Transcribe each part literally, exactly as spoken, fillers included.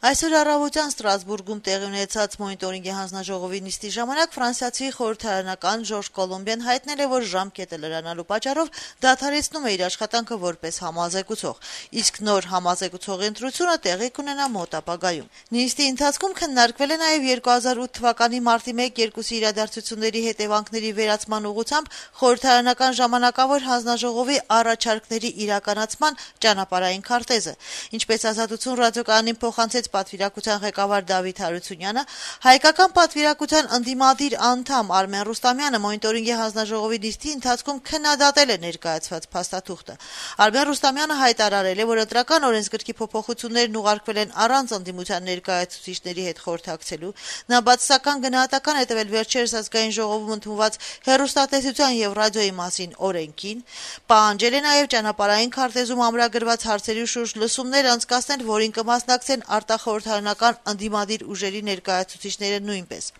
Այսօր առավոտյան Ստրասբուրգում տեղի ունեցած մոնիտորինգի հանձնաժողովի նիստի ժամանակ ֆրանսիացի խորհրդարանական Ժորժ Կոլոմբիան հայտնել է, որ ժամկետը լրանալու պատճառով դադարեցնում է իր աշխատանքը որպես համազեկուցող, իսկ նոր համազեկուցողի ընտրությունը տեղի կունենա մոտ ապագայում։ Նիստի ընթացքում քննարկվել է նաև երկու հազար ութ թվականի մարտի մեկ-երկուսի իրադարձությունների հետևանքների վերացման ուղղությամբ խորհրդարանական ժամանակավոր հանձնաժողովի առաջարկների իրականացման ճանապարհային քարտեզը, ինչպես Ազատություն ռադիոկայանին փոխանցեց պատվիրակության ղեկավար Դավիթ Հարությունյանը, հայկական պատվիրակության ընդդիմադիր անդամ Արմեն Ռուստամյանը մոնիտորինգի հանձնաժողովի նիստի ընթացքում քննադատել է ներկայացված փաստաթուղթը։ Արմեն Ռուստամյանը հայտարարել է, որ ընտրական օրենսգրքի փոփոխություններն ուղարկվել են առանց ընդդիմության ներկայացուցիչների հետ խորհրդակցելու։ Նա բացասական գնահատական է տվել վերջերս ազգային ժողովում ընդունված հեռուստատեսության եւ ռադիոյի մասին օրենքին, պահանջել է նաեւ ճանապարհային քարտեզում ամրագրված հարցերի շուրջ լսումներ անցկացնել, որին կմասնակցեն արտախորհրդարանական ընդդիմադիր ուժերի ներկայացուցիչները նույնպես։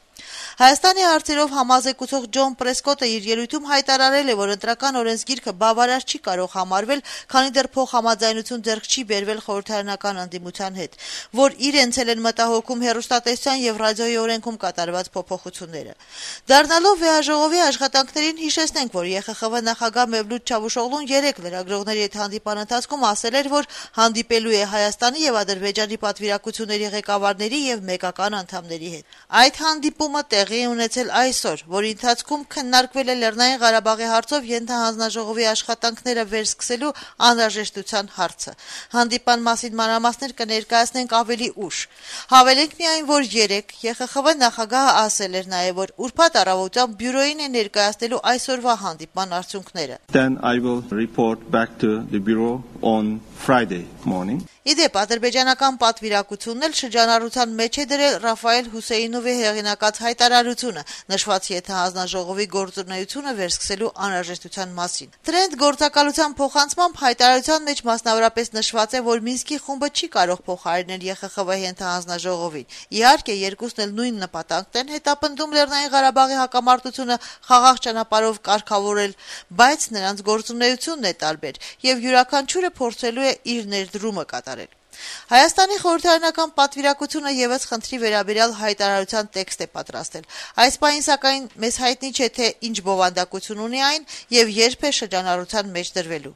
Հայաստանի հարցերով համազեկուցող Ջոն Պրեսկոտը իր ելույթում հայտարարել է, որ ընտրական օրենսգիրքը բավարար չի կարող համարվել, քանի դեռ փոխհամաձայնություն ձեռք չի բերվել խորհրդարանական ընդդիմության հետ, որ իրենց էլ են մտահոգում հեռուստատեսության եւ ռադիոյի օրենքում կատարված փոփոխությունները։ Դառնալով վեհաժողովի աշխատանքներին հիշեցնենք, որ ԵԽԽՎ նախագահ Մևլութ Չավուշօղլուն երեք լրագրողների հետ հանդիպան ընթացքում ասել էր, որ հանդիպելու է Հայաստանի եւ Ադրբեջանի պատվիրակությունների ղեկավարների եւ մեկական անդամների հետ։ Այդ հանդիպումը տեղի է ունեցել այսօր, որի ընթացքում քննարկվել է Լեռնային Ղարաբաղի հարցով ենթահանձնաժողովի աշխատանքները վերսկսելու անհրաժեշտության հարցը։ Հանդիպան մասին մանրամասներ կներկայացնենք ավելի ուշ։ Հավելենք միայն, որ երեկ ԵԽԽՎ նախագահը ասել էր նաև, որ ուրբաթ առավոտյան բյուրոյին է ներկայացնելու այսօրվա հանդիպման արդյունքները։ Then I will report back to the bureau on Friday morning. Իդեպ ադրբեջանական պատվիրակությունն էլ շրջանառության մեջ է դրել Ռաֆայել Հուսեյնովի հեղինակած հայտարարությունը նշված ենթահանձնաժողովի գործունեությունը վերսկսելու անհրաժեշտության մասին։ Տրենդ գործակալության փոխանցմամբ հայտարարության մեջ մասնավորապես նշված է, որ Մինսկի խումբը չի կարող փոխարինել ԵԽԽՎ ենթահանձնաժողովին։ Իհարկե, երկուսն էլ նույն նպատակն են հետապնդում Լեռնային Ղարաբաղի հակամարտությունը խաղաղ ճանապարհով կարգավորել, բայց նրանց գործունեությունն է տարբեր, եւ յուրաքանչյուրը փորձելու է իր ներդրումը կատարել։ Հայաստանի խորհրդարանական պատվիրակությունը եւս խնդրի վերաբերյալ հայտարարության տեքստ է պատրաստել։ Այս պահին սակայն մեզ հայտնի չէ, թե ինչ բովանդակություն ունի այն եւ երբ է շրջանառության մեջ դրվելու։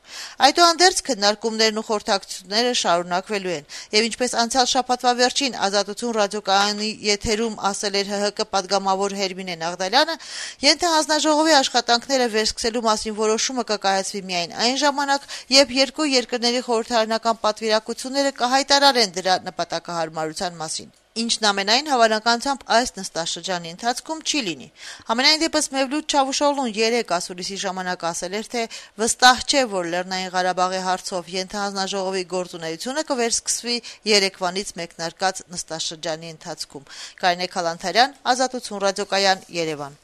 Այդուհանդերձ քննարկումներն ու խորհրդակցությունները շարունակվելու են, եւ ինչպես անցյալ շաբաթվա վերջին Ազատություն ռադիոկայանի եթերում ասել էր ՀՀԿ պատգամավոր Հերմինե Նաղդալյանը, ենթահանձնաժողովի աշխատանքները վերսկսելու մասին որոշումը կկայացվի միայն այն ժամանակ, երբ երկու երկրների խորհրդարանական պատվիրակությունները հայտարարեն դրա նպատակահարմարության մասին, ինչն ամենայն հավանականությամբ այս նստաշրջանի ընթացքում չի լինի։ Համենայն դեպս Մևլութ Չավուշօղլուն երեք ասուլիսի ժամանակ ասել էր, թե վստահ չէ, որ Լեռնային Ղարաբաղի հարցով ենթահանձնաժողովի գործունեությունը կվերսկսվի երեկվանից մեկնարկած նստաշրջանի ընթացքում։ Կարինե Քալանթարյան, Ազատություն ռադիոկայան, Երևան։